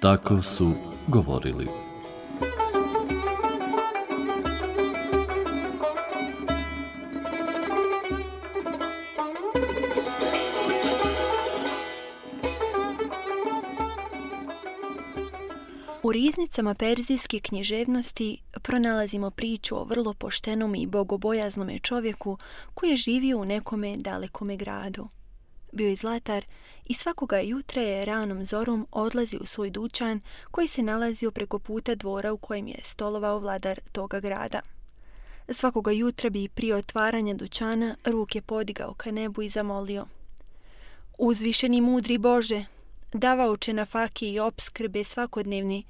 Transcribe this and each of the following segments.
Tako su govorili. U riznicama perzijske književnosti pronalazimo priču o vrlo poštenom i bogobojaznome čovjeku koji je živio u nekome dalekome gradu. Bio je zlatar i svakoga jutra je ranom zorom odlazio u svoj dućan koji se nalazio preko puta dvora u kojem je stolovao vladar toga grada. Svakoga jutra bi prije otvaranja dućana ruke podigao ka nebu i zamolio: Uzvišeni mudri Bože, davaoče nafake i opskrbe svakodnevni,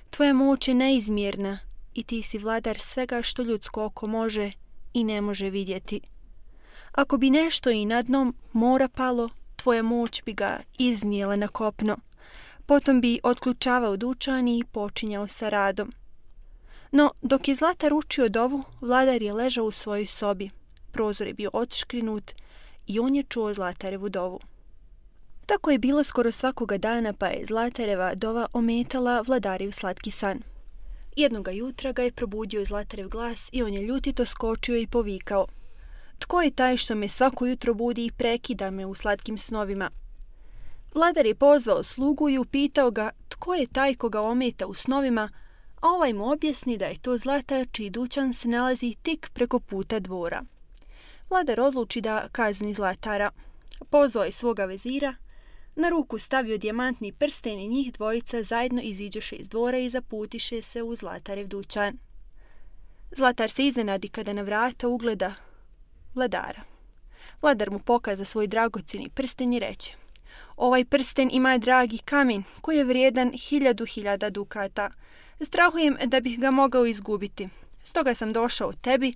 tvoja moć je neizmjerna i ti si vladar svega što ljudsko oko može i ne može vidjeti. Ako bi nešto i na dnom mora palo, tvoja moć bi ga iznijela na kopno. Potom bi otključavao dućan i počinjao sa radom. No, dok je zlatar učio dovu, vladar je ležao u svojoj sobi. Prozor je bio odškrinut i on je čuo zlatarevu dovu. Tako je bilo skoro svakoga dana, pa je zlatareva dova ometala vladarev slatki san. Jednoga jutra ga je probudio zlatarev glas i on je ljutito skočio i povikao: Tko je taj što me svako jutro budi i prekida me u slatkim snovima? Vladar je pozvao slugu i upitao ga tko je taj koga ometa u snovima, a ovaj mu objasni da je to zlatar čiji dućan se nalazi tik preko puta dvora. Vladar odluči da kazni zlatara. Pozvao je svoga vezira, na ruku stavio dijamantni prsten i njih dvojica zajedno iziđoše iz dvora i zaputiše se u zlatarev dućan. Zlatar se iznenadi kada na vrata ugleda vladara. Vladar mu pokaza svoj dragocjeni prsten i reče: Ovaj prsten ima dragi kamen koji je vrijedan 1000 dukata. Strahujem da bih ga mogao izgubiti. Stoga sam došao tebi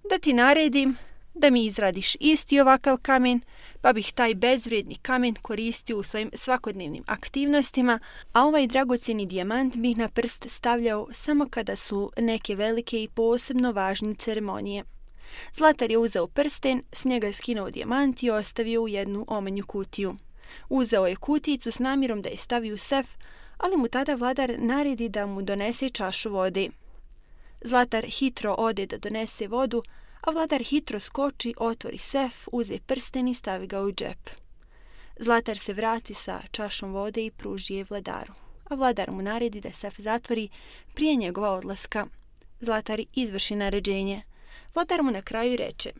da ti naredim da mi izradiš isti ovakav kamen, pa bih taj bezvrijedni kamen koristio u svojim svakodnevnim aktivnostima, a ovaj dragocjeni dijamant bih na prst stavljao samo kada su neke velike i posebno važne ceremonije. Zlatar je uzeo prsten, s njega skinuo dijamant i ostavio u jednu omanju kutiju. Uzeo je kutijicu s namjerom da je stavi u sef, ali mu tada vladar naredi da mu donese čašu vode. Zlatar hitro ode da donese vodu, a vladar hitro skoči, otvori sef, uze prsten i stavi ga u džep. Zlatar se vrati sa čašom vode i pruži je vladaru, a vladar mu naredi da sef zatvori prije njegova odlaska. Zlatar izvrši naređenje. Vladar mu na kraju reče: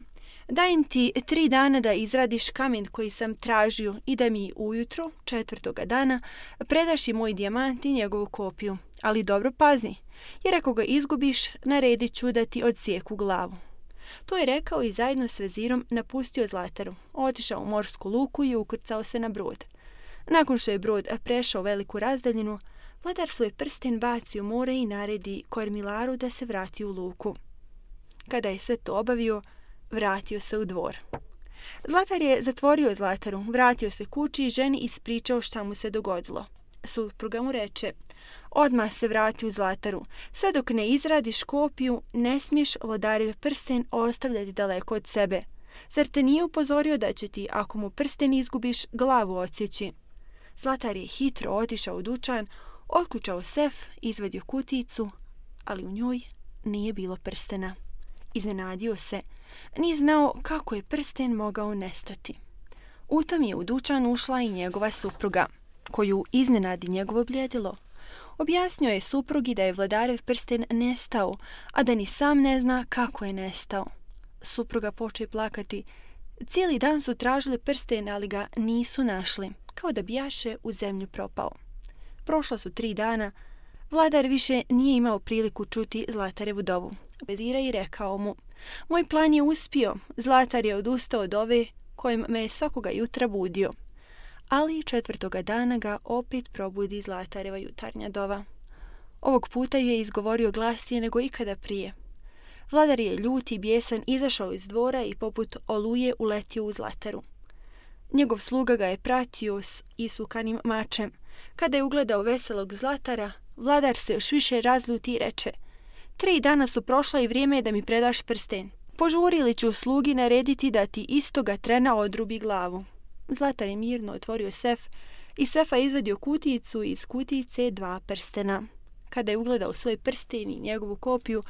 Dajem ti 3 dana da izradiš kamen koji sam tražio i da mi ujutro 4. dana predaš i moj dijamant i njegovu kopiju. Ali dobro pazi, jer ako ga izgubiš, naredit ću da ti odsijeku glavu. To je rekao i zajedno s vezirom napustio zlataru, otišao u morsku luku i ukrcao se na brod. Nakon što je brod prešao veliku razdaljinu, vladar svoj prsten baci u more i naredi kormilaru da se vrati u luku. Kada je sve to obavio, vratio se u dvor. Zlatar je zatvorio zlataru, vratio se kući i ženi ispričao šta mu se dogodilo. Supruga mu reče: Odmah se vrati u zlataru. Sve dok ne izradiš kopiju, ne smiješ vladarev prsten ostavljati daleko od sebe. Zar te nije upozorio da će ti, ako mu prsten izgubiš, glavu odsjeći? Zlatar je hitro otišao u dućan, otključao sef, izvadio kutijicu, ali u njoj nije bilo prstena. Iznenadio se. Nije znao kako je prsten mogao nestati. U tom je u dućan ušla i njegova supruga, koju iznenadi njegovo bljedilo. Objasnio je suprugi da je vladarev prsten nestao, a da ni sam ne zna kako je nestao. Supruga poče plakati. Cijeli dan su tražili prsten, ali ga nisu našli, kao da bijaše u zemlju propao. Prošla su 3 dana. Vladar više nije imao priliku čuti zlatarevu dovu. Vezira i rekao mu: Moj plan je uspio, zlatar je odustao od ove kojim me je svakoga jutra budio. Ali 4. dana ga opet probudi zlatareva jutarnja dova. Ovog puta ju je izgovorio glasnije nego ikada prije. Vladar je ljut i bijesan izašao iz dvora i poput oluje uletio u zlataru. Njegov sluga ga je pratio s isukanim mačem. Kada je ugledao veselog zlatara, vladar se još više razljuti i reče: 3 dana su prošla i vrijeme je da mi predaš prsten. Požuri li ću slugi narediti da ti istoga trena odrubi glavu. Zlatar je mirno otvorio sef, Iz sefa izvadio kutijicu i iz kutijice 2 prstena. Kada je ugledao svoj prsten i njegovu kopiju,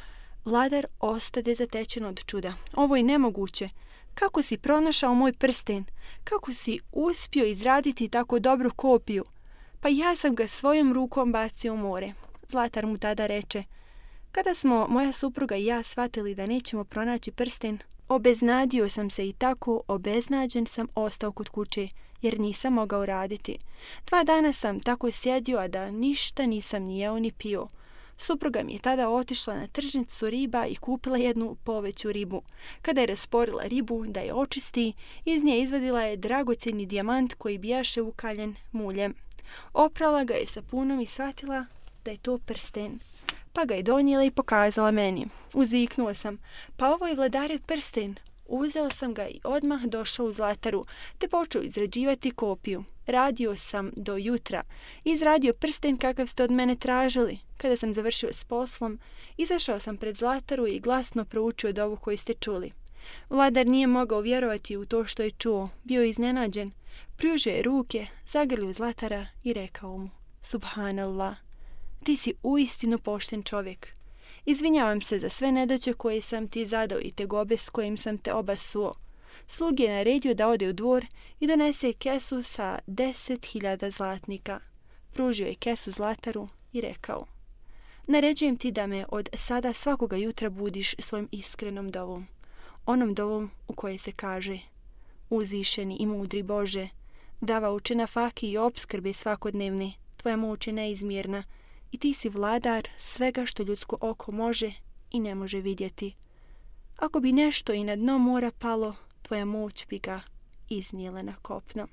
vladar ostade zatečen od čuda. Ovo je nemoguće. Kako si pronašao moj prsten? Kako si uspio izraditi tako dobru kopiju? Pa ja sam ga svojom rukom bacio u more. Zlatar mu tada reče: kada smo moja supruga i ja shvatili da nećemo pronaći prsten, obeznadio sam se i tako obeznađen sam ostao kod kuće, jer nisam mogao raditi. 2 dana sam tako sjedio, a da ništa nisam ni jeo ni pio. Supruga mi je tada otišla na tržnicu riba i kupila jednu poveću ribu. Kada je rasporila ribu da je očisti, iz nje izvadila je dragocjeni dijamant koji bijaše ukaljen muljem. Oprala ga je sapunom i shvatila da je to prsten. Pa ga je donijela i pokazala meni. Uzviknuo sam: pa ovo je vladarev prsten. Uzeo sam ga i odmah došao u Zlataru, te počeo izrađivati kopiju. Radio sam do jutra. Izradio prsten kakav ste od mene tražili. Kada sam završio s poslom, izašao sam pred Zlataru i glasno proučio dovu koju ste čuli. Vladar nije mogao vjerovati u to što je čuo. Bio je iznenađen. Pružio je ruke, zagrlio Zlatara i rekao mu: Subhanallah, ti si uistinu pošten čovjek. Izvinjavam se za sve nedaće koje sam ti zadao i tegobe s kojim sam te obasuo. Slug je naredio da ode u dvor i donese kesu sa 10.000 zlatnika. Pružio je kesu Zlataru i rekao: naređujem ti da me od sada svakoga jutra budiš svojim iskrenom dovom. Onom dovom u kojoj se kaže: uzvišeni i mudri Bože, davaoče nafake i opskrbe svakodnevne, tvoja moć je neizmjerna i ti si vladar svega što ljudsko oko može i ne može vidjeti. Ako bi nešto i na dno mora palo, tvoja moć bi ga iznijela na kopno.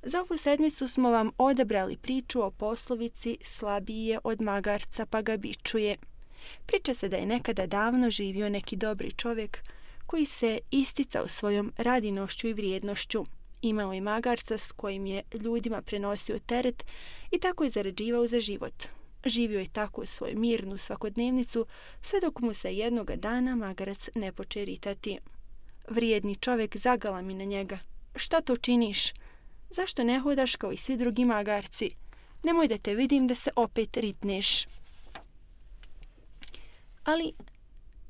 Za ovu sedmicu smo vam odabrali priču o poslovici slabiji je od magarca pa ga bičuje. Priča se da je nekada davno živio neki dobri čovjek koji se isticao svojom radinošću i vrijednošću. Imao je magarca s kojim je ljudima prenosio teret i tako je zarađivao za život. Živio je tako svoju mirnu svakodnevnicu sve dok mu se jednoga dana magarac ne poče ritati. Vrijedni čovjek zagalami na njega: šta to činiš? Zašto ne hodaš kao i svi drugi magarci? Nemoj da te vidim da se opet ritneš. Ali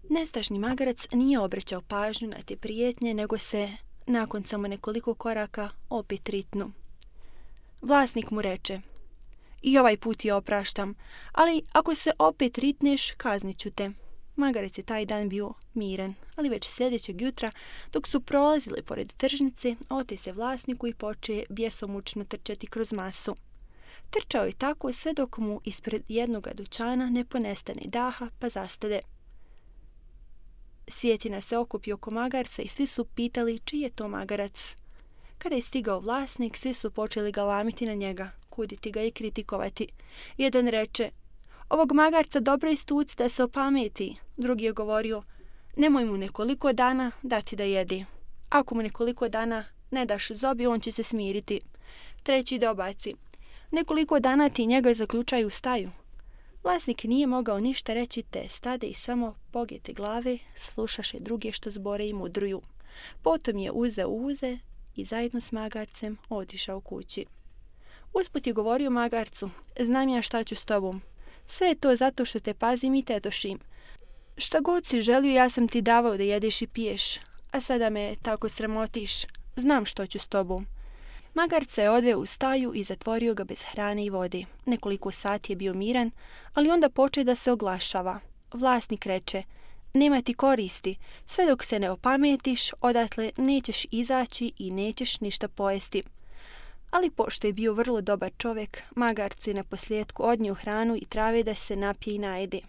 nestašni magarac nije obraćao pažnju na te prijetnje, nego se nakon samo nekoliko koraka opet ritnu. Vlasnik mu reče: i ovaj put je opraštam, ali ako se opet ritneš, kaznit ću te. Magarac je taj dan bio miran, ali već sljedećeg jutra, dok su prolazili pored tržnice, ote se vlasniku i poče bjesomučno trčati kroz masu. Trčao je tako sve dok mu ispred jednoga dućana ne ponestane daha pa zastade. Svjetina se okupi oko magarca i svi su pitali čiji je to magarac. Kada je stigao vlasnik, svi su počeli galamiti na njega, kuditi ga i kritikovati. Jedan reče: ovog magarca dobro istuci da se opameti. Drugi je govorio: nemoj mu nekoliko dana dati da jedi. Ako mu nekoliko dana ne daš zobi, on će se smiriti. Treći dobaci: nekoliko dana ti njega zaključaju u staju. Vlasnik nije mogao ništa reći, te stade i samo pogete glave slušaše druge što zbore i mudruju. Potom je uzeo uze i zajedno s magarcem otišao kući. Usput je govorio magarcu: znam ja šta ću s tobom. Sve je to zato što te pazim i tetošim. Šta god si želio, ja sam ti davao da jedeš i piješ, a sada me tako sramotiš. Znam što ću s tobom. Magarca je odveo u staju i zatvorio ga bez hrane i vode. Nekoliko sati je bio miran, ali onda poče da se oglašava. Vlasnik reče: nema ti koristi, sve dok se ne opametiš, odatle nećeš izaći i nećeš ništa pojesti. Ali pošto je bio vrlo dobar čovjek, magarcu je na posljedku odnio hranu i trave da se napije i najede.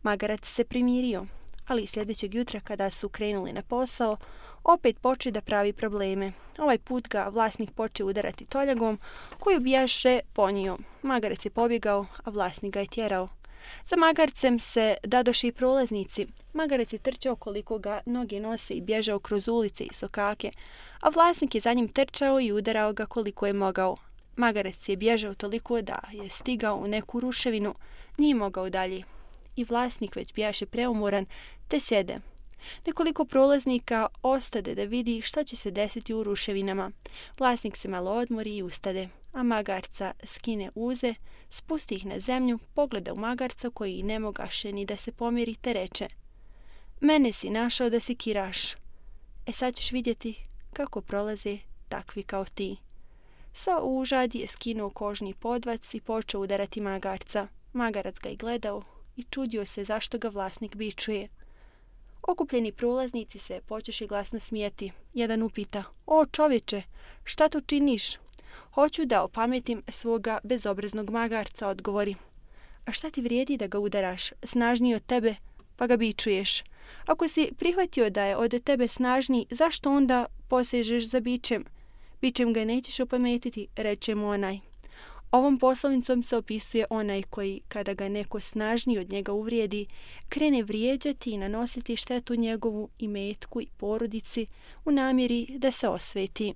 Magarac se primirio, ali sljedećeg jutra kada su krenuli na posao, opet poče da pravi probleme. Ovaj put ga vlasnik poče udarati toljagom koju bijaše ponio. Magarac je pobjegao, a vlasnik ga je tjerao. Za magarcem se dadoše i prolaznici. Magarac je trčao koliko ga noge nose i bježao kroz ulice i sokake, a vlasnik je za njim trčao i udarao ga koliko je mogao. Magarac je bježao toliko da je stigao u neku ruševinu, nije mogao dalje. I vlasnik već bijaše preumoran, te sjede. Nekoliko prolaznika ostade da vidi šta će se desiti u ruševinama. Vlasnik se malo odmori i ustade. a magarca skine uze, spusti ih na zemlju, pogleda u magarca koji ne mogaše ni da se pomiri, te reče: Mene si našao da si kiraš. Sad ćeš vidjeti kako prolaze takvi kao ti. Sa užadi je skinuo kožni podvac i počeo udarati magarca. Magarac ga je gledao i čudio se zašto ga vlasnik bičuje. Okupljeni prolaznici se počeše glasno smijeti. Jedan upita: O čovječe, šta tu činiš? Hoću da opametim svoga bezobraznog magarca, odgovori. A šta ti vrijedi da ga udaraš, snažniji od tebe, pa ga bičuješ? Ako si prihvatio da je od tebe snažniji, zašto onda posežeš za bičem? Bičem ga nećeš opametiti, reče mu onaj. Ovom poslovnicom se opisuje onaj koji, kada ga neko snažniji od njega uvrijedi, krene vrijeđati i nanositi štetu njegovu imetku i porodici u namjeri da se osveti.